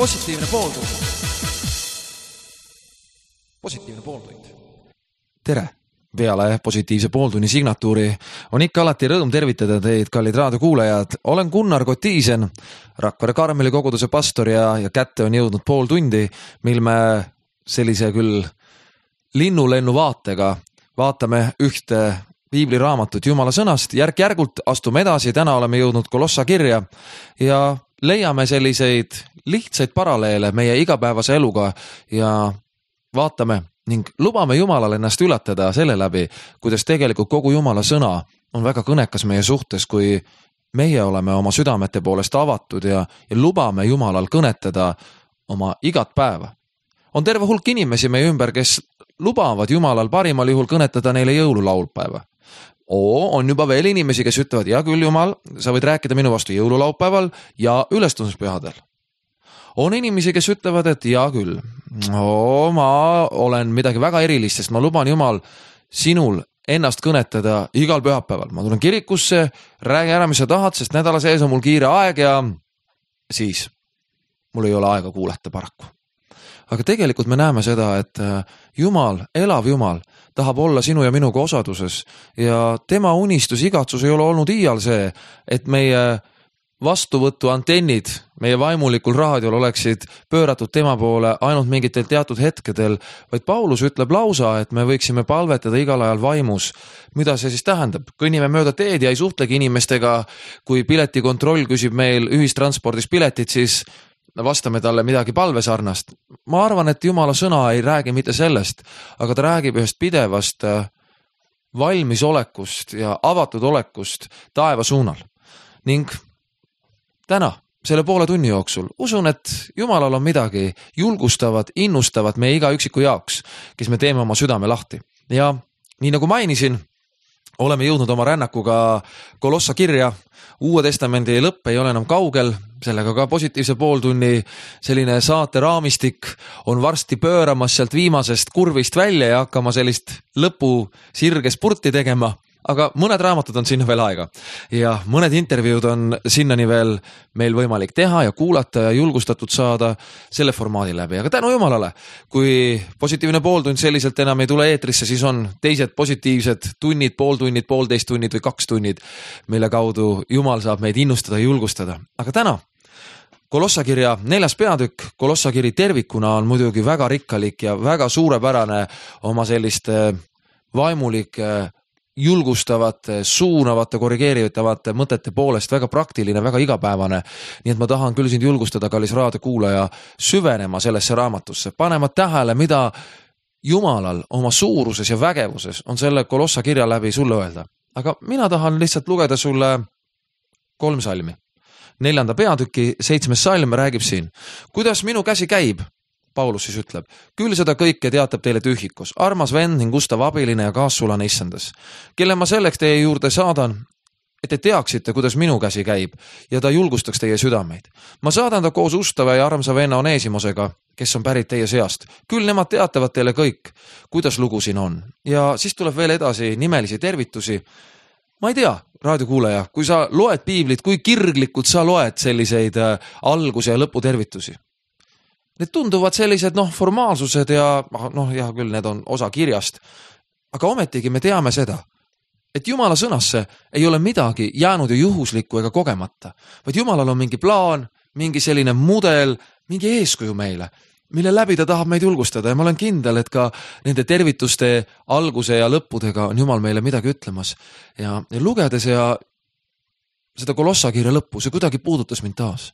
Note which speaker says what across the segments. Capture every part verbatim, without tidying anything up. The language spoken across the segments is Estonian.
Speaker 1: positiivne pooltund. Positiivne pooltund. Tere! Peale positiivse pooltunni signatuuri on ikka alati rõõm tervitada teid, kallid raadiokuulajad. Olen Gunnar Kotiisen, Rakvere Karmeli koguduse pastor ja, ja kätte on jõudnud pool tundi, mil me sellise küll linnulennu vaatega vaatame ühte piibliraamatut Jumala sõnast. Järk-järgult astume edasi, täna oleme jõudnud Kolossa kirja ja leiame selliseid lihtsaid paralleele meie igapäevase eluga ja vaatame ning lubame Jumalal ennast üllatada selle läbi, kuidas tegelikult kogu Jumala sõna on väga kõnekas meie suhtes, kui meie oleme oma südamete poolest avatud ja, ja lubame Jumalal kõnetada oma igat päeva. On terve hulk inimesi meie ümber, kes lubavad Jumalal parimal juhul kõnetada neile jõululaulpäeva. Oo, on juba veel inimesi, kes ütlevad, ja küll Jumal, sa võid rääkida minu vastu jõululaupäeval ja ülestõusmispühadel. On inimesi, kes ütlevad, et ja küll, oo, ma olen midagi väga erilist, sest ma luban Jumal sinul ennast kõnetada igal pühapäeval. Ma tulen kirikusse, räägi ära, mis sa tahad, sest nädala sees on mul kiire aeg ja siis mul ei ole aega kuulata paraku. Aga tegelikult me näeme seda, et Jumal, elav Jumal, tahab olla sinu ja minuga osaduses ja tema unistus, igatsus ei ole olnud iial see, et meie vastuvõtu antennid meie vaimulikul raadiol oleksid pööratud tema poole ainult mingitel teatud hetkedel, vaid Paulus ütleb lausa, et me võiksime palvetada igal ajal vaimus. Mida see siis tähendab? Kõnnime mööda teed ja ei suhtlegi inimestega, kui piletikontroll küsib meil ühistranspordis piletit, siis vastame talle midagi palvesarnast. Ma arvan, et Jumala sõna ei räägi mitte sellest, aga ta räägib ühest pidevast valmisolekust ja avatud olekust taeva suunal. Ning täna, selle poole tunni jooksul, usun, et Jumalal on midagi julgustavat, innustavat meie iga üksiku jaoks, kes me teeme oma südame lahti. Ja nii nagu mainisin, oleme jõudnud oma rännakuga Kolossa kirja. Uue testamendi lõpp ei ole enam kaugel, sellega ka positiivse pooltunni selline saate raamistik on varsti pööramas sealt viimasest kurvist välja ja hakkama sellist lõpu sirge spurti tegema. Aga mõned raamatud on sinna veel aega ja mõned intervjuud on sinnani veel meil võimalik teha ja kuulata ja julgustatud saada selle formaadi läbi. Aga tänu Jumalale, kui positiivne pooltund selliselt enam ei tule eetrisse, siis on teised positiivsed tunnid, pooltunnid, poolteist tunnid või kaks tunnid, mille kaudu Jumal saab meid innustada ja julgustada. Aga täna Kolossa kirja neljas peatükk, Kolossa kiri tervikuna on muidugi väga rikkalik ja väga suurepärane oma selliste vaimulike julgustavate, suunavate, korrigeeritavate mõtete poolest, väga praktiline, väga igapäevane. Nii et ma tahan küll sind julgustada, kallis raadiokuulaja, süvenema sellesse raamatusse, panema tähele, mida Jumalal oma suuruses ja vägevuses on selle Kolossa kirja läbi sulle öelda. Aga mina tahan lihtsalt lugeda sulle kolm salmi. Neljanda peatüki seitsmes salm räägib siin. Kuidas minu käsi käib? Paulus siis ütleb, küll seda kõike teatab teile tühikos, armas vend ning ustav abiline ja kaassulane issandas, kelle ma selleks teie juurde saadan, et te teaksite, kuidas minu käsi käib ja ta julgustaks teie südameid. Ma saadan ta koos ustava ja armsa venna Oneesimosega, kes on pärit teie seast. Küll nemad teatavad teile kõik, kuidas lugu siin on. Ja siis tuleb veel edasi nimelisi tervitusi. Ma ei tea, raadiokuulaja, kui sa loed piiblit, kui kirglikult sa loed selliseid alguse ja lõpu tervitusi. Need tunduvad sellised noh, formaalsused ja noh, jah, küll need on osa kirjast. Aga ometigi me teame seda, et Jumala sõnasse ei ole midagi jäänud ju juhuslikku ega kogemata, vaid Jumalal on mingi plaan, mingi selline mudel, mingi eeskuju meile, mille läbi ta tahab meid julgustada ja ma olen kindel, et ka nende tervituste alguse ja lõppudega on Jumal meile midagi ütlemas. Ja, ja lugedes ja seda Kolossa kirja lõppu, see kuidagi puudutas mind taas.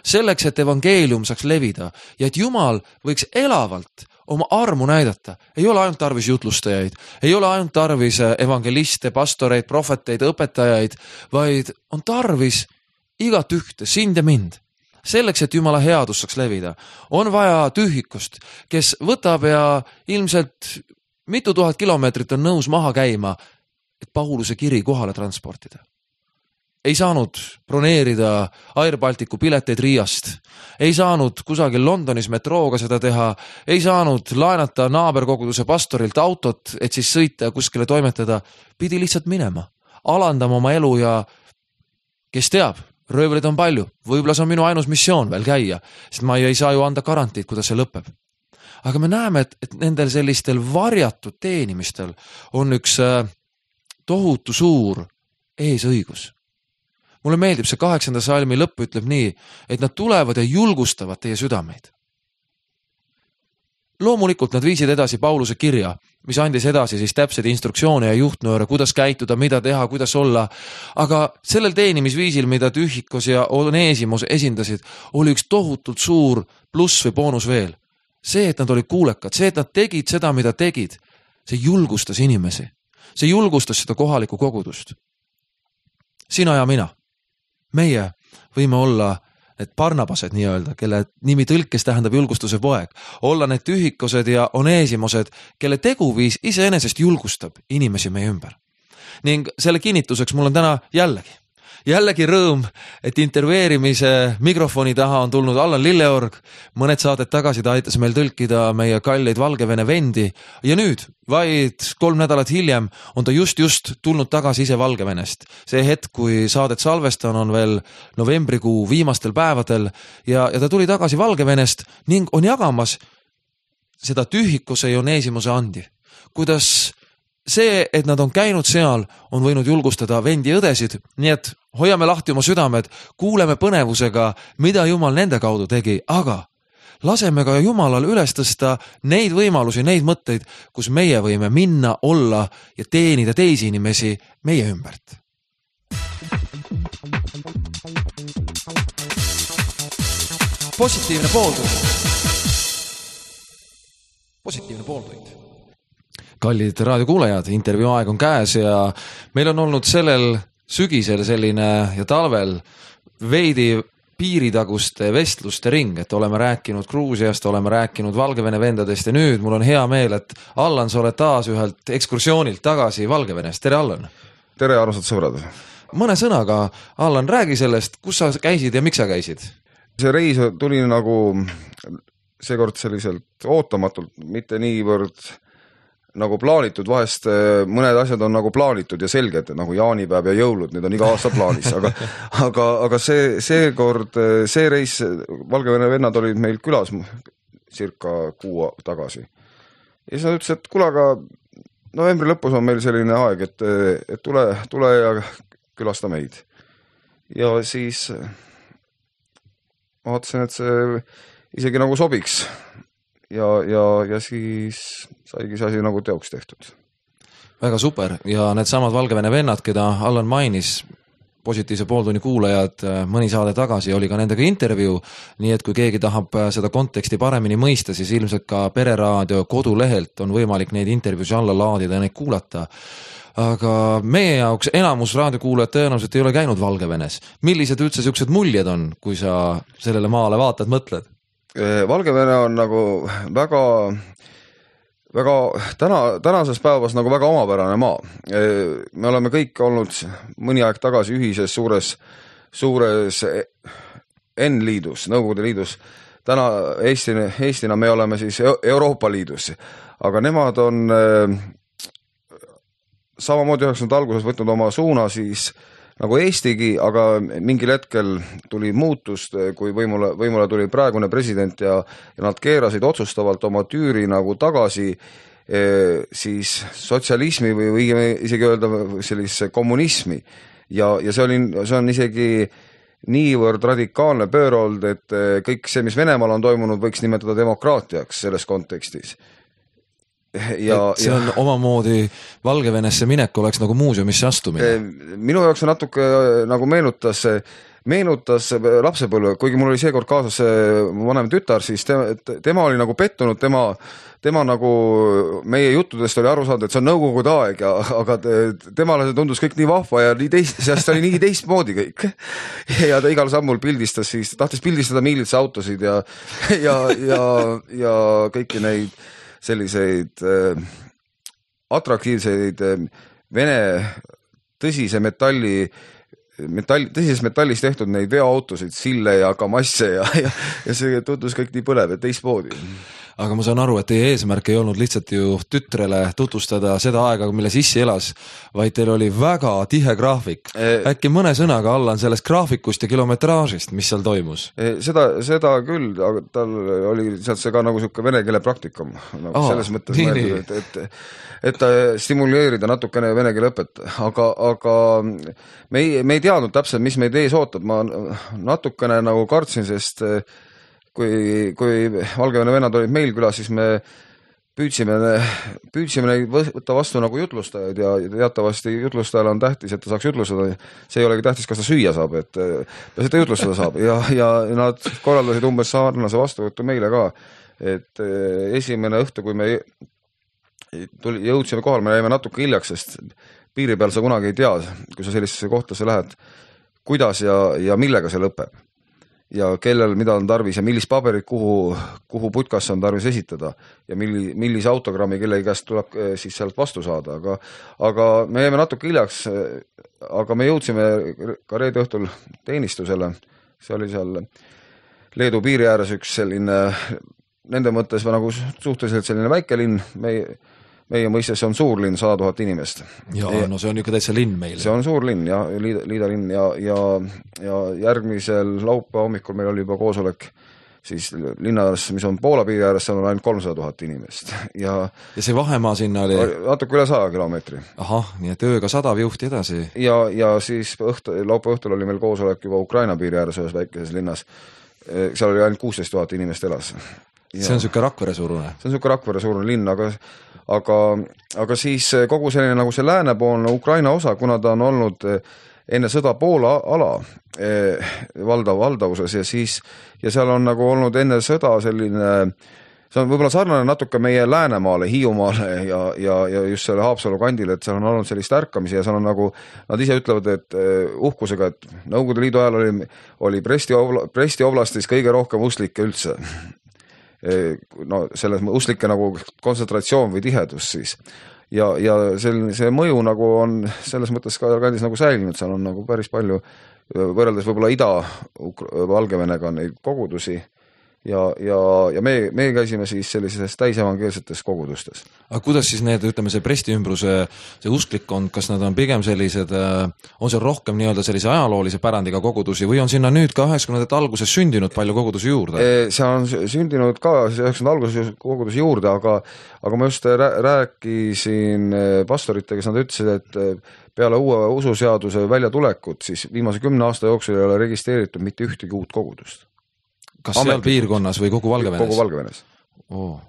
Speaker 1: Selleks, et evangeelium saaks levida ja et Jumal võiks elavalt oma armu näidata. Ei ole ainult tarvis jutlustajaid, ei ole ainult tarvis evangeliste, pastoreid, prohveteid, õpetajaid, vaid on tarvis igat ühte, sind ja mind. Selleks, et Jumala headus saaks levida, on vaja tühikust, kes võtab ja ilmselt mitu tuhat kilomeetrit on nõus maha käima, et Pauluse kiri kohale transportida. Ei saanud broneerida Air Balticu pileteid Riiast, ei saanud kusagil Londonis metrooga seda teha, ei saanud laenata naaberkoguduse pastorilt autot, et siis sõita ja kuskile toimetada, pidi lihtsalt minema, alandama oma elu ja kes teab, röövleid on palju, võib-olla see on minu ainus missioon veel käia, sest ma ei saa ju anda garantiid, kuidas see lõpeb. Aga me näeme, et, et nendel sellistel varjatud teenimistel on üks tohutu suur eesõigus. Mulle meeldib see kaheksanda salmi lõpp ütleb nii, et nad tulevad ja julgustavad teie südameid. Loomulikult nad viisid edasi Pauluse kirja, mis andis edasi siis täpsed instruktsioone ja juhtnööre, kuidas käituda, mida teha, kuidas olla. Aga sellel teenimisviisil, mida Tühikos ja Oneesimus esindasid, oli üks tohutult suur pluss või boonus veel. See, et nad olid kuulekad, see, et nad tegid seda, mida tegid, see julgustas inimesi. See julgustas seda kohalikku kogudust. Sina ja mina. Meie võime olla need Barnabased nii-öelda, kelle nimi tõlkes tähendab julgustuse poeg. Olla need Tühikosed ja Oneesimused, kelle teguviis iseenesest julgustab inimesi meie ümber. Ning selle kinnituseks mul on täna jällegi. Jällegi rõõm, et intervjueerimise mikrofoni taha on tulnud Allan Lilleorg. Mõned saated tagasi ta aitas meil tõlkida meie kalleid Valgevene vendi. Ja nüüd, vaid kolm nädalat hiljem, on ta just just tulnud tagasi ise Valgevenest. See hetk, kui saadet salvestan, on veel novembrikuu viimastel päevadel ja, ja ta tuli tagasi Valgevenest ning on jagamas seda Tühikose ja Oneesimuse andi. Kuidas see, et nad on käinud seal, on võinud julgustada vendi ja õdesid, nii et hoiame lahti oma südamed, kuuleme põnevusega, mida Jumal nende kaudu tegi, aga laseme ka Jumalal üles tõsta neid võimalusi, neid mõtteid, kus meie võime minna, olla ja teenida teisi inimesi meie ümbert. Positiivne pooltund. Positiivne pooltund. Kallid raadiokuulajad, intervjuu aeg on käes ja meil on olnud sellel sügisel selline ja talvel veidi piiritaguste vestluste ring, et oleme rääkinud Gruusiast, oleme rääkinud Valgevene vendadest ja nüüd mul on hea meel, et Allan, sa oled taas ühelt ekskursioonilt tagasi Valgevenest. Tere, Allan!
Speaker 2: Tere, armsad sõbrad!
Speaker 1: Mõne sõnaga, Allan, räägi sellest, kus sa käisid ja miks sa käisid?
Speaker 2: See reis tuli nagu seekord selliselt ootamatult, mitte niivõrd nagu plaanitud, vahest mõned asjad on nagu plaanitud ja selged, nagu jaanipäev ja jõulud, need on iga aasta plaanis, aga, aga, aga see, see kord, see reis, Valgevene vennad olid meil külas circa kuu tagasi. Ja siis nad ütles, et kuule, aga novembri lõpus on meil selline aeg, et, et tule, tule ja külasta meid. Ja siis ma vaatasin, et see isegi nagu sobiks. Ja, ja, ja siis saigi see asi nagu teoks tehtud.
Speaker 1: Väga super ja need samad Valgevene vennad, keda Allan mainis, positiivse pooltunni kuulajad mõni saade tagasi, oli ka nendega intervjuu, nii et kui keegi tahab seda konteksti paremini mõista, siis ilmselt ka Pereraadio kodulehelt on võimalik neid intervjuusi alla laadida ja neid kuulata. Aga meie jaoks enamus raadiokuulajad tõenäoliselt ei ole käinud Valgevenes. Millised üldse siuksed muljed on, kui sa sellele maale vaatad, mõtled?
Speaker 2: Valgevene on nagu väga, väga täna, tänases päevas nagu väga omapärane maa. Me oleme kõik olnud mõni aeg tagasi ühises suures, suures N-liidus, Nõukogude liidus. Täna Eestina, Eestina me oleme siis Euroopa liidus, aga nemad on samamoodi üheksakümnendate alguses võtnud oma suuna siis nagu Eestigi, aga mingil hetkel tuli muutust, kui võimule, võimule tuli praegune president ja, ja nad keerasid otsustavalt oma tüüri nagu tagasi e, siis sotsialismi või, või isegi öelda sellise kommunismi. Ja, ja see, oli, see on isegi niivõrd radikaalne pöörold, et kõik see, mis Venemaal on toimunud, võiks nimetada demokraatiaks selles kontekstis.
Speaker 1: Ja, see on ja, omamoodi Valgevenesse minek oleks nagu muuseumisse astumine.
Speaker 2: Minu jaoks on natuke nagu meenutas, meenutas lapsepõlve, kuigi mul oli seekord kaasas vanem tütar, siis tema, tema oli nagu pettunud, tema, tema nagu meie juttudest oli aru saanud, et see on nõukogude aeg, ja, aga temale see tundus kõik nii vahva ja nii teist, sest oli nii teistmoodi kõik. Ja ta igal sammul pildistas, siis tahtis pildistada miilitsa autosid ja, ja, ja, ja kõiki neid selliseid äh, atraktiivseid äh, Vene tõsise metalli, metall, tõsises metallis tehtud neid veoautosid, sille ja kamasse ja, ja, ja see tundus kõik nii põlev ja teistmoodi.
Speaker 1: aga ma saan aru, et teie eesmärk ei olnud lihtsalt ju tütrele tutvustada seda aega, milles issi elas, vaid teil oli väga tihe graafik. Äkki mõne sõnaga Allan sellest graafikust ja kilometraažist, mis seal toimus?
Speaker 2: Seda, seda küll, aga tal oli sealt see ka nagu siuke vene keele praktikum. Nagu Aa, selles mõttes mõeldud, et, et, et stimuleerida natukene vene keele õpet, aga, aga me ei, me ei teadnud täpselt, mis meid ees ootab. Ma natukene nagu kartsin, sest kui, kui Valgevene vennad olid meil külas, siis me püüdsime, püüdsime neid võtta vastu nagu jutlustajaid ja teatavasti jutlustajal on tähtis, et ta saaks jutlustada. See ei olegi tähtis, kas ta süüa saab, et seda jutlustada saab ja, ja nad korraldasid umbes sarnase vastuvõttu meile ka. Et esimene õhtu, kui me tuli, jõudsime kohal, me jäime natuke hiljaks, sest piiri peal sa kunagi ei tea, kui sa sellisesse kohtasse lähed, kuidas ja, ja millega see lõpeb. Ja kellel mida on tarvis ja millist paberit kuhu, kuhu putkasse on tarvis esitada ja milli, millise autogrammi kellegi käest tuleb siis sealt vastu saada. Aga, aga me jäime natuke hiljaks, aga me jõudsime ka reede õhtul teenistusele. See oli seal Leedu piiri ääres üks selline, nende mõttes nagu suhteliselt selline väike linn, me meie mõistes on suur linn, sada tuhat inimest.
Speaker 1: Ja, ja no see on ikka täitsa linn meil.
Speaker 2: See on suur linn ja liida, liida linn ja, ja, ja järgmisel laupäeva hommikul meil oli juba koosolek siis linnas, mis on Poola piiri ääres, seal on ainult kolmsada tuhat inimest. Ja,
Speaker 1: ja see vahemaa sinna oli?
Speaker 2: Natuke üle saja kilomeetri.
Speaker 1: Ahah, nii et ööga sadav juhti edasi.
Speaker 2: Ja, ja siis õhtu, laupäeva õhtul oli meil koosolek juba Ukraina piiri ääres ühes väikeses linnas. Seal oli ainult kuusteist tuhat inimest elas. Ja
Speaker 1: see on siuke Rakvere suurune.
Speaker 2: See on siuke Rakvere suurune linn, aga, aga, aga siis kogu selline nagu see läänepoolne Ukraina osa, kuna ta on olnud enne sõda Poola ala eh, valdav valdavuses ja siis, ja seal on nagu olnud enne sõda selline, see on võib-olla sarnane natuke meie Läänemaale, Hiiumaale ja, ja, ja just selle Haapsalu kandile, et seal on olnud sellist ärkamisi ja seal on nagu, nad ise ütlevad, et uh, uhkusega, et Nõukogude Liidu ajal oli, oli Bresti, Bresti oblastis kõige rohkem uslikke üldse. No selles uslike nagu kontsentratsioon või tihedus siis. Ja, ja selline, see mõju nagu on selles mõttes ka kandis nagu säilinud, seal on nagu päris palju võrreldes võib-olla Ida-Valgevenega neid kogudusi ja, ja, ja me, me käisime siis sellises täisevangeelsetes kogudustes.
Speaker 1: Aga kuidas siis need, ütleme see Bresti ümbruse, see usklikkond, kas nad on pigem sellised, on seal rohkem nii-öelda sellise ajaloolise pärandiga kogudusi või on sinna nüüd ka üheksakümnendate alguses sündinud palju kogudusi juurde?
Speaker 2: See on sündinud ka üheksakümnendate alguses kogudusi juurde, aga, aga ma just rääkisin pastoritega, nad ütlesid, et peale uue ususeaduse väljatulekut, siis viimase kümne aasta jooksul ei ole registreeritud mitte ühtegi uut kogudust.
Speaker 1: Kas seal Ametlikult. Piirkonnas või kogu Valgevenes?
Speaker 2: Kogu Valgevenes.
Speaker 1: Oh.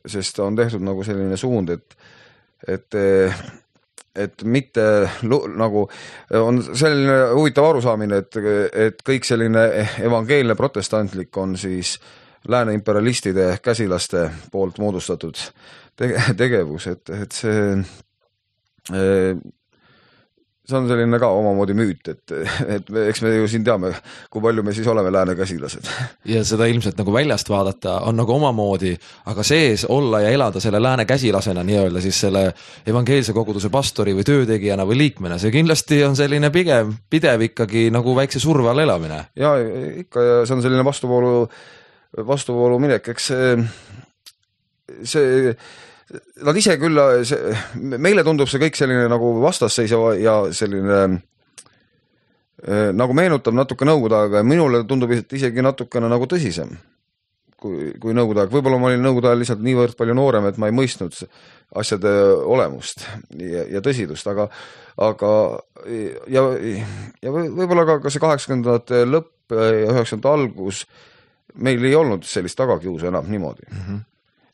Speaker 2: Sest on tehtud nagu selline suund, et, et, et mitte nagu on selline huvitav arusaamine, et, et kõik selline evangeelne protestantlik on siis lääne imperialistide käsilaste poolt moodustatud tegevus, et, et see see on selline ka omamoodi müüt, et, et me, eks me ju siin teame, kui palju me siis oleme lääne käsilased.
Speaker 1: Ja seda ilmselt nagu väljast vaadata on nagu omamoodi, aga sees olla ja elada selle lääne käsilasena nii-öelda siis selle evangeelse koguduse pastori või töötegijana või liikmena, see kindlasti on selline pigem pidev ikkagi nagu väikse surve all elamine.
Speaker 2: Ja ikka, ja see on selline vastuvoolu, vastuvoolu minek, eks see, see nad ise küll, see, meile tundub see kõik selline nagu vastasseisev ja selline nagu meenutab natuke nõukogude aega ja minule tundub isegi natukene nagu tõsisem kui, kui nõukogude aeg. Võib-olla ma olin nõukogude ajal lihtsalt niivõrd palju noorem, et ma ei mõistnud asjade olemust ja, ja tõsidust, aga, aga ja, ja võib-olla ka, ka see kaheksakümnendate lõpp ja üheksakümnendate algus meil ei olnud sellist tagakiusu enam niimoodi. Mm-hmm.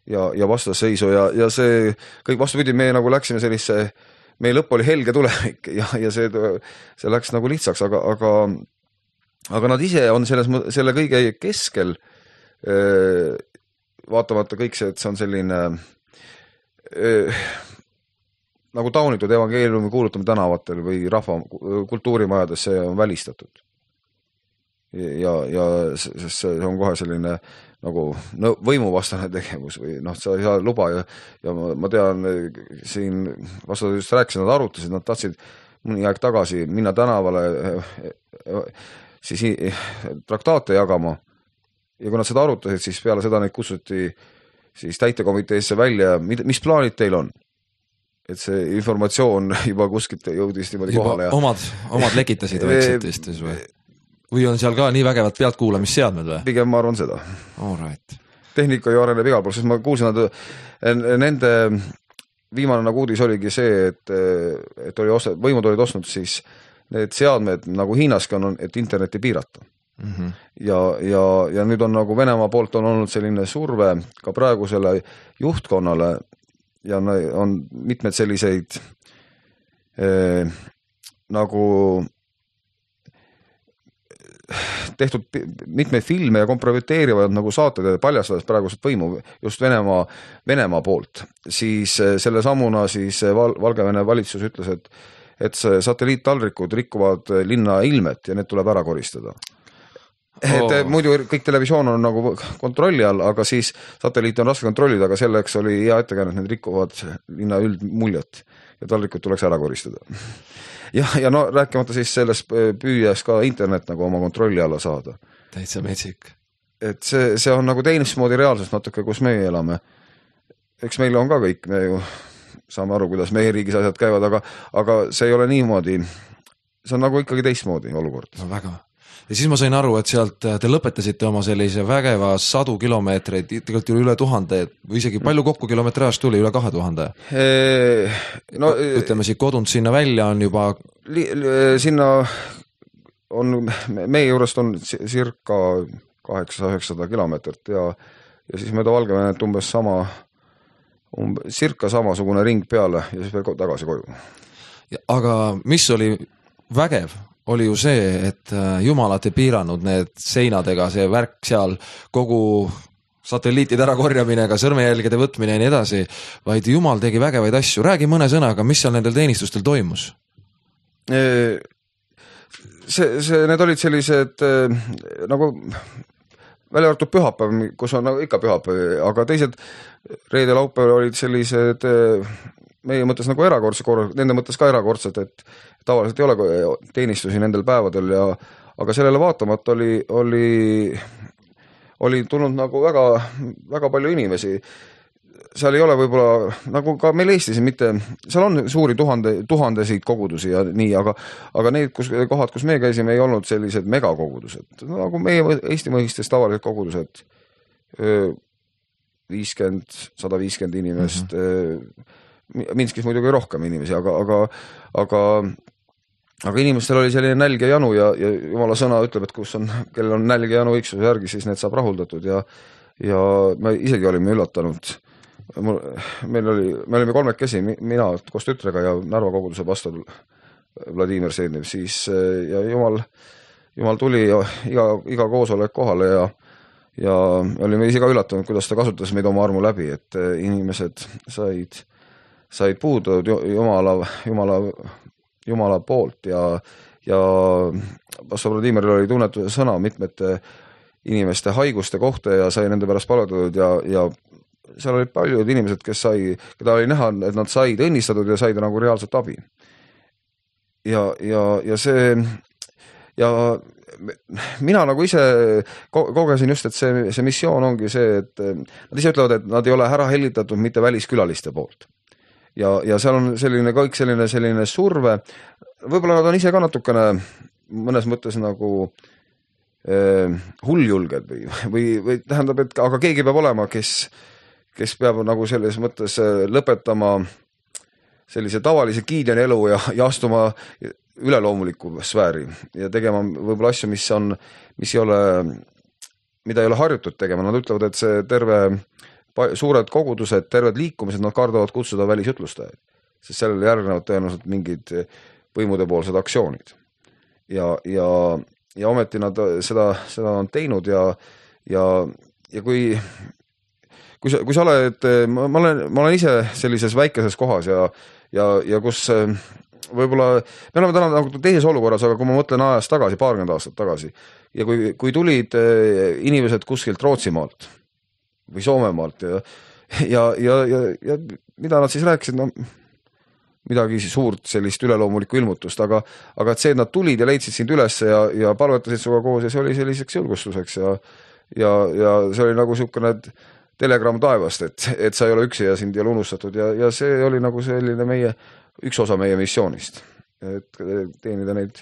Speaker 2: ja, ja vastasseisu ja, ja see kõik vastupidi, me nagu läksime sellisse, meie lõpp oli helge tulevik ja, ja see, see läks nagu lihtsaks, aga, aga, aga nad ise on selles, selle kõige keskel äh, vaatamata kõik see, et see on selline äh, nagu taunitud evangeeliumi kuulutame tänavatel või rahva kultuurimajades, see on välistatud. Ja, ja see on kohe selline nagu no, võimuvastane tegevus või noh, sa ei saa luba ja, ja ma, ma tean, siin vastu just rääkisin, nad arutasid, nad tahtsid mõni aeg tagasi minna tänavale siis traktaate jagama ja kui nad seda arutasid, siis peale seda neid kutsuti siis täitekomiteesse välja, mis plaanid teil on? Et see informatsioon juba kuskilt jõudis niimoodi
Speaker 1: juba
Speaker 2: kohale. Ja...
Speaker 1: Omad, omad lekitasid vaikselt vist või? Või on seal ka nii vägevad pealtkuulamisseadmed või?
Speaker 2: Pigem ma arvan seda.
Speaker 1: All right.
Speaker 2: Tehnika ju areneb igal pool, sest ma kuulsin, et nende viimane nagu uudis oligi see, et, et oli osa, võimud olid ostnud siis need seadmed nagu Hiinaski on, et interneti piirata. Mm -hmm. ja, ja, ja nüüd on nagu Venemaa poolt on olnud selline surve ka praegusele juhtkonnale ja on mitmed selliseid eh, nagu tehtud mitmeid filme ja kompromiteerivad nagu saated ja paljastades praegused võimu just Venemaa, Venemaa poolt, siis selle sammuna siis Val Valgevene valitsus ütles, et, et see satelliittaldrikud rikuvad linna ilmet ja need tuleb ära koristada. Et oh. muidu kõik televisioon on nagu kontrolli all, aga siis satelliiti on raske kontrollida, aga selleks oli hea ettekääne, et need rikuvad linna üldmuljet ja taldrikud tuleks ära koristada. Ja, ja no rääkimata siis sellest püüas ka internet nagu oma kontrolli alla saada.
Speaker 1: Täitsa metsik.
Speaker 2: Et see, see on nagu teinismoodi reaalsus natuke, kus meie elame. Eks meil on ka kõik, me ju saame aru, kuidas meie riigis asjad käivad, aga, aga see ei ole niimoodi. See on nagu ikkagi teistmoodi olukord.
Speaker 1: No väga. Ja siis ma sain aru, et sealt te lõpetasite oma sellise vägeva sadu kilomeetreid, tegelikult üle tuhande või isegi palju kokku kilometraaž tuli, üle kahe tuhande. No, ütleme siit kodunt sinna välja on juba...
Speaker 2: Li, li, sinna on, meie juurest on circa kaheksasada üheksasada kilomeetrit ja, ja siis mööda Valgevenet umbes sama, umbes, circa samasugune ring peale ja siis veel tagasi koju.
Speaker 1: Aga mis oli vägev? Oli ju see, et jumalat ei piiranud need seinadega, see värk seal, kogu satelliitide ära korjamine, ka sõrmejälgede võtmine ja nii edasi, vaid jumal tegi vägevaid asju. Räägi mõne sõnaga, mis seal nendel teenistustel toimus?
Speaker 2: See, see, need olid sellised nagu välja arvatud pühapäev, kus on nagu ikka pühapäev, aga teised reede laupäev olid sellised meie mõttes nagu erakordse korra, nende mõttes ka erakordset, et tavaliselt ei ole teenistusi nendel päevadel ja aga sellele vaatamata oli, oli, oli tulnud nagu väga, väga palju inimesi. Seal ei ole võib-olla, nagu ka meil Eestis mitte, seal on suuri tuhande, tuhandesid kogudusi ja nii, aga, aga need kus, kohad, kus me käisime, ei olnud sellised megakogudused. Nagu meie Eesti mõistes tavalised kogudused, viiskümmend, sada viiskümmend inimest, mm-hmm. Minskis muidugi rohkem inimesi, aga, aga, aga, aga inimestel oli selline nälg ja janu ja, ja jumala sõna ütleb, et kus on, kellel on nälg ja janu õigsuse järgi, siis need saab rahuldatud ja, ja me isegi olime üllatanud. Meil oli, me olime kolmekesi, mina koos tütrega ja Narva koguduse pastor Vladimir Seednev, siis ja jumal, jumal tuli ja iga, iga koosolek kohale ja, ja olime ise ka üllatunud, kuidas ta kasutas meid oma armu läbi, et inimesed said said puudud jumala, jumala, jumala poolt ja, ja pastor Vladimiril oli tunnetuse sõna mitmete inimeste haiguste kohta ja sai nende pärast palvetatud ja, ja seal olid paljud inimesed, kes sai, keda oli näha, et nad said õnnistatud ja said nagu reaalset abi. Ja, ja, ja see ja mina nagu ise kogesin just, et see, see missioon ongi see, et nad ise ütlevad, et nad ei ole ära hellitatud mitte väliskülaliste poolt. Ja, ja seal on selline kõik selline, selline surve, võib-olla nad on ise ka natukene mõnes mõttes nagu eh, hulljulged või, või, või tähendab, et aga keegi peab olema, kes, kes peab nagu selles mõttes lõpetama sellise tavalise Gideoni elu ja, ja astuma üleloomuliku sfääri ja tegema võib-olla asju, mis on, mis ei ole, mida ei ole harjutud tegema. Nad ütlevad, et see terve suured kogudused, terved liikumised, nad kardavad kutsuda välisjutlustajaid, sest sellele järgnevad tõenäoliselt mingid võimudepoolsed aktsioonid. Ja, ja, ja ometi nad seda, seda on teinud ja, ja, ja kui, kui sa, kui sa oled, ma olen, ma olen ise sellises väikeses kohas ja, ja, ja kus võib-olla, me oleme täna nagu teises olukorras, aga kui ma mõtlen ajast tagasi, paarkümmend aastat tagasi ja kui, kui tulid inimesed kuskilt Rootsimaalt või Soomemaalt ja, ja, ja, ja, ja mida nad siis rääkisid, no midagi suurt sellist üleloomulikku ilmutust, aga, aga et see, et nad tulid ja leidsid sind üles ja, ja palvetasid suga koos ja see oli selliseks julgustuseks ja, ja, ja see oli nagu niisugune telegramm taevast, et, et sa ei ole üksi ja sind ei ole unustatud ja, ja see oli nagu selline meie, üks osa meie missioonist, et teenida neid,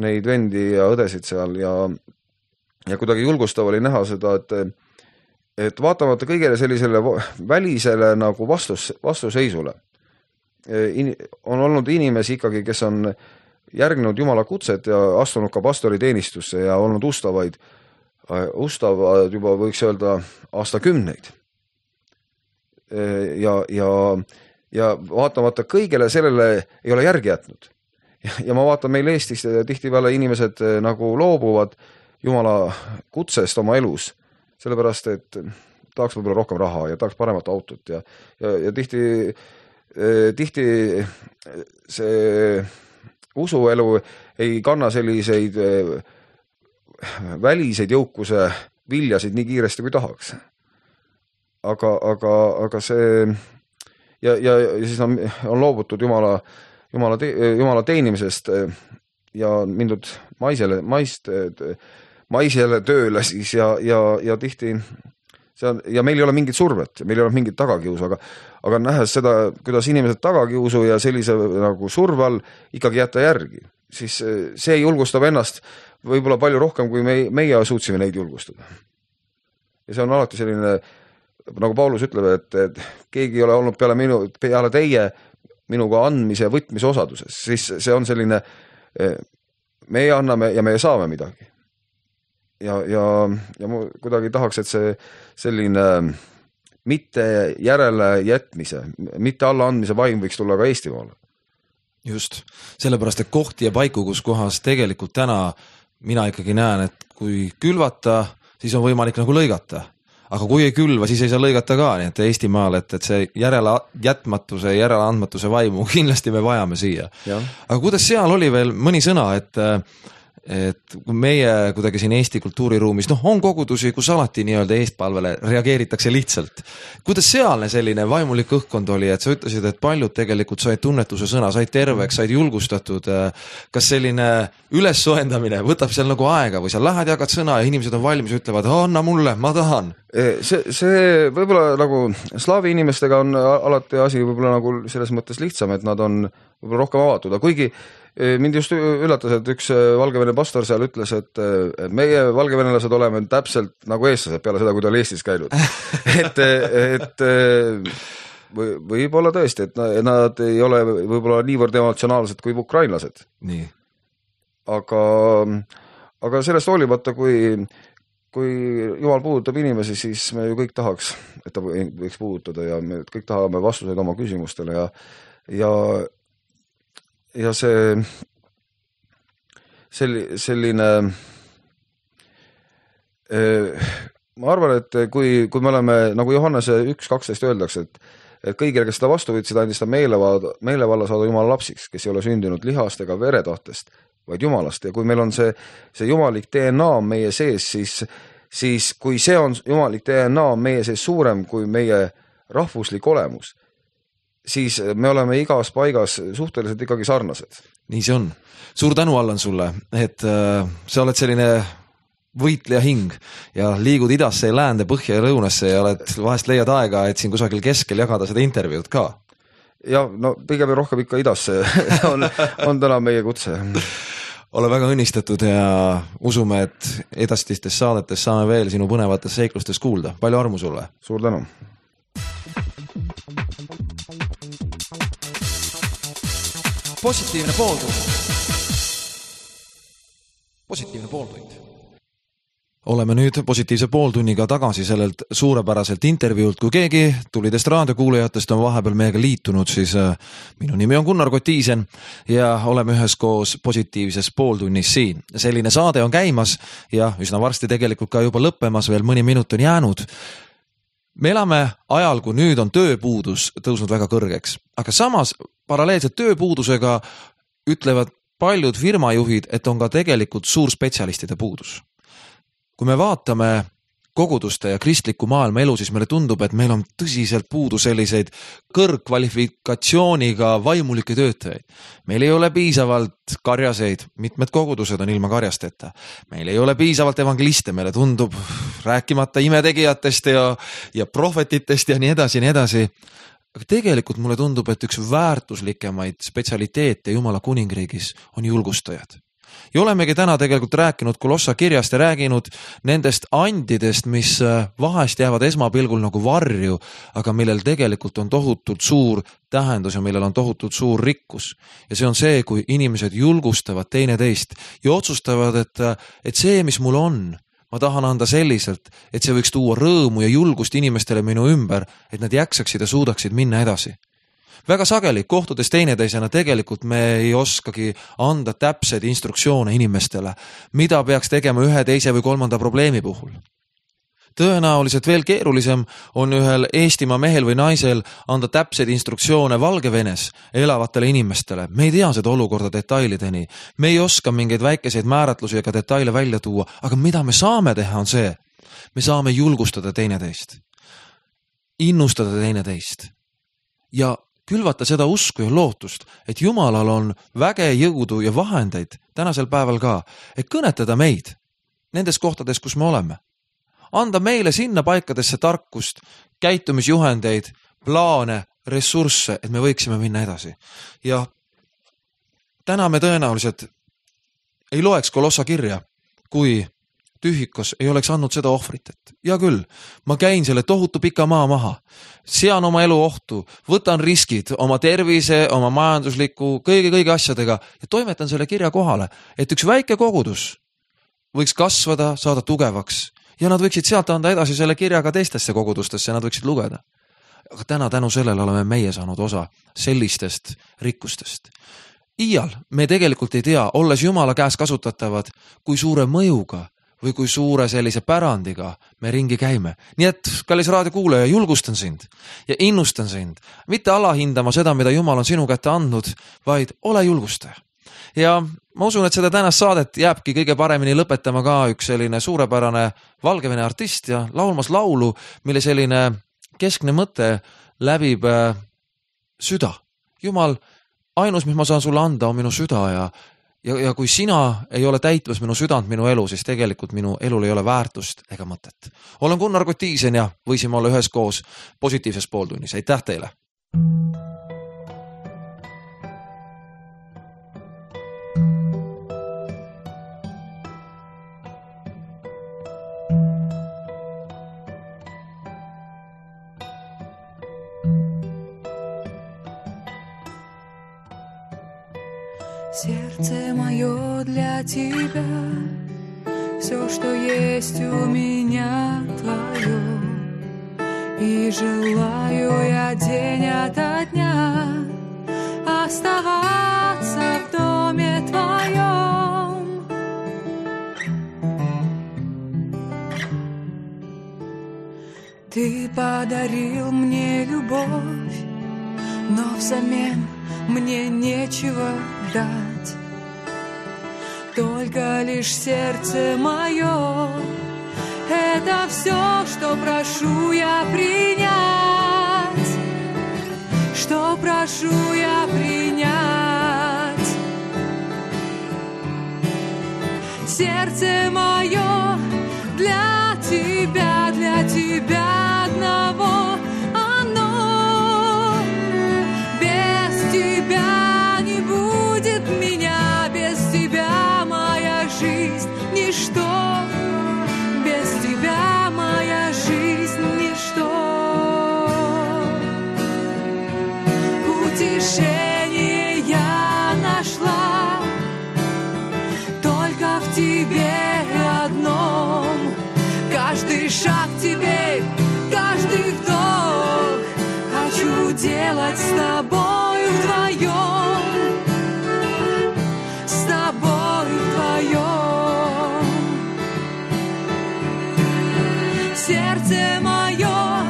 Speaker 2: neid vendi ja õdesid seal ja, ja kuidagi julgustav oli näha seda, et, et vaatamata kõigele sellisele välisele nagu vastus, vastuseisule on olnud inimesi ikkagi, kes on järgnenud Jumala kutset ja astunud ka pastori teenistusse ja olnud ustavaid, ustavad juba võiks öelda aastakümneid. Ja, ja, ja vaatamata kõigele sellele ei ole järgi jätnud. Ja, ja ma vaatan meil Eestis tihtipeale inimesed nagu loobuvad Jumala kutsest oma elus, sellepärast et tahaks võib-olla rohkem raha ja tahaks paremat autot ja, ja, ja tihti, tihti see usuelu ei kanna selliseid väliseid jõukuse viljasid nii kiiresti kui tahaks. Aga, aga, aga see ja, ja, ja siis on, on loobutud Jumala, Jumala, te, Jumala teenimisest ja mindud maisele, maist, maisele tööle siis ja, ja, ja tihti see on, ja meil ei ole mingit survet, meil ei ole mingit tagakiusu, aga, aga nähes seda, kuidas inimesed tagakiusu ja sellise nagu surve all ikkagi jätta järgi, siis see julgustab ennast võib-olla palju rohkem, kui me, meie suutsime neid julgustada. Ja see on alati selline, nagu Paulus ütleb, et, et keegi ei ole olnud peale, minu, peale teie minuga andmise ja võtmise osaduses, siis see on selline, meie anname ja meie saame midagi. Ja, ja, ja ma kuidagi tahaks, et see selline mitte järele jätmise, mitte alla andmise vaim võiks tulla ka Eestimaale.
Speaker 1: Just, sellepärast, et kohti ja paiku, kus kohas tegelikult täna mina ikkagi näen, et kui külvata, siis on võimalik nagu lõigata. Aga kui ei külva, siis ei saa lõigata ka, nii et Eestimaal, et, et see järele jätmatuse, järele andmatuse vaimu kindlasti me vajame siia. Ja. Aga kuidas seal oli veel mõni sõna, et et kui meie kuidagi siin Eesti kultuuriruumis, noh, on kogudusi, kus alati nii-öelda eestpalvele reageeritakse lihtsalt. Kuidas sealne selline vaimulik õhkkond oli, et sa ütlesid, et paljud tegelikult said tunnetuse sõna, said terveks, said julgustatud. Kas selline ülessoendamine võtab seal nagu aega või sa lähed jagad sõna ja inimesed on valmis ja ütlevad, anna mulle, ma tahan?
Speaker 2: See, see võib-olla nagu slaavi inimestega on alati asi võib-olla nagu selles mõttes lihtsam, et nad on võib-olla rohkem avatud, aga kuigi mind just üllatas, et üks Valgevene pastor seal ütles, et meie valgevenelased oleme täpselt nagu eestlased peale seda, kui ta oli Eestis käinud. et, et või, võib-olla tõesti, et nad ei ole võib-olla niivõrd emotsionaalsed kui ukrainlased.
Speaker 1: Nii.
Speaker 2: Aga, aga sellest hoolimata, kui, kui Jumal puudutab inimesi, siis me ju kõik tahaks, et ta võiks puudutada ja me kõik tahame vastuseid oma küsimustele ja, ja ja see selline ma arvan, et kui, kui me oleme, nagu Johannese üks kaksteist öeldakse, et, et kõigile, kes seda vastu võtsid, andis ta meelevalla, meelevalla saada Jumala lapsiks, kes ei ole sündinud lihast ega veretahtest, vaid Jumalast. Ja kui meil on see, see jumalik D N A meie sees, siis, siis kui see on jumalik D N A meie sees suurem kui meie rahvuslik olemus, siis me oleme igas paigas suhteliselt ikkagi sarnased.
Speaker 1: Nii see on. Suur tänu, Allan, sulle, et äh, sa oled selline võitleja hing ja liigud idasse ja läände, põhja ja lõunasse ja oled, vahest leiad aega, et siin kusagil keskel jagada seda intervjuud ka.
Speaker 2: Ja, no pigem rohkem ikka idasse on, on täna meie kutse.
Speaker 1: Ole väga õnnistatud ja usume, et edastistes saadetes saame veel sinu põnevates seiklustes kuulda. Palju armu sulle.
Speaker 2: Suur tänu.
Speaker 1: Positiivne pooltund. Positiivne pooltund. Oleme nüüd positiivse pooltunniga tagasi sellelt suurepäraselt intervjuult. Kui keegi tulidest raadiokuulajatest on vahepeal meiega liitunud, siis minu nimi on Gunnar Kotiisen ja oleme üheskoos positiivses pooltunnis siin. Selline saade on käimas ja üsna varsti tegelikult ka juba lõppemas, veel mõni minut on jäänud. Me elame ajal, kui nüüd on tööpuudus tõusnud väga kõrgeks, aga samas paralleelselt tööpuudusega ütlevad paljud firmajuhid, et on ka tegelikult suur spetsialistide puudus. Kui me vaatame koguduste ja kristliku maailma elu, siis meile tundub, et meil on tõsiselt puudu selliseid kõrgkvalifikatsiooniga vaimulikke töötajaid. Meil ei ole piisavalt karjaseid, mitmed kogudused on ilma karjasteta. Meil ei ole piisavalt evangeliste, meile tundub rääkimata imetegijatest ja, ja prohvetitest ja nii edasi, nii edasi. Aga tegelikult mulle tundub, et üks väärtuslikemaid spetsialiteete Jumala kuningriigis on julgustajad. Ja olemegi täna tegelikult rääkinud Kolossa kirjast ja rääginud nendest andidest, mis vahest jäävad esmapilgul nagu varju, aga millel tegelikult on tohutult suur tähendus ja millel on tohutult suur rikkus. Ja see on see, kui inimesed julgustavad teineteist ja otsustavad, et, et see, mis mul on, ma tahan anda selliselt, et see võiks tuua rõõmu ja julgust inimestele minu ümber, et nad jaksaksid ja suudaksid minna edasi. Väga sageli kohtudes teineteisena tegelikult me ei oskagi anda täpseid instruktsioone inimestele, mida peaks tegema ühe, teise või kolmanda probleemi puhul. Tõenäoliselt veel keerulisem on ühel Eestimaa mehel või naisel anda täpseid instruktsioone Valgevenes elavatele inimestele. Me ei tea seda olukorda detailideni. Me ei oska mingeid väikeseid määratlusi ega detaile välja tuua, aga mida me saame teha on see. Me saame julgustada teineteist, innustada teineteist ja külvata seda usku ja lootust, et Jumalal on väge, jõudu ja vahendeid tänasel päeval ka, et kõnetada meid nendes kohtades, kus me oleme. Anda meile sinna paikadesse tarkust, käitumisjuhendeid, plaane, ressursse, et me võiksime minna edasi. Ja täna me tõenäoliselt ei loeks Kolossa kirja, kui Tühikos ei oleks andnud seda ohvrit, et ja küll, ma käin selle tohutu pika maa maha, sean oma elu ohtu, võtan riskid oma tervise, oma majandusliku, kõigi-kõigi asjadega ja toimetan selle kirja kohale, et üks väike kogudus võiks kasvada, saada tugevaks ja nad võiksid sealt anda edasi selle kirjaga teistesse kogudustesse, nad võiksid lugeda. Aga täna tänu sellele oleme meie saanud osa sellistest rikkustest. Iial me tegelikult ei tea, olles Jumala käes kasutatavad, kui suure mõjuga või kui suure sellise pärandiga me ringi käime. Nii et, kallis raadiokuulaja, julgustan sind ja innustan sind, mitte alahindama seda, mida Jumal on sinu kätte andnud, vaid ole julgustaja. Ja ma usun, et seda tänast saadet jääbki kõige paremini lõpetama ka üks selline suurepärane Valgevene artist ja laulmas laulu, mille selline keskne mõte läbib süda. Jumal, ainus, mis ma saan sulle anda, on minu süda ja Ja, ja kui sina ei ole täitmas minu südant minu elu, siis tegelikult minu elul ei ole väärtust ega mõtet. Olen Gunnar Kotiisen ja võisime olla ühes koos positiivses pooltunnis. Aitäh teile!
Speaker 3: Сердце мое для тебя, все, что есть у меня твое, и желаю я день ото дня оставаться в доме твоем. Ты подарил мне любовь, но взамен мне нечего дать, только лишь сердце мое. Это все, что прошу я принять, что прошу я принять. Сердце мое для тебя, для тебя одного. Оно без тебя не будет меня, без тебя моя жизнь ничто, без тебя моя жизнь ничто. Утешение я нашла только в тебе одном. Каждый шаг теперь, каждый вдох хочу делать с тобой вдвоем, с тобой вдвоем. Сердце мое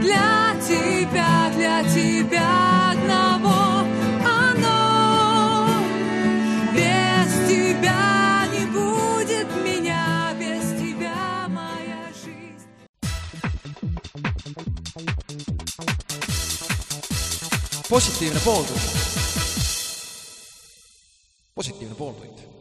Speaker 3: для тебя, для тебя одного. Оно без тебя не будет меня, без тебя моя жизнь.
Speaker 1: positiivne pooltund. positiivne pooltund.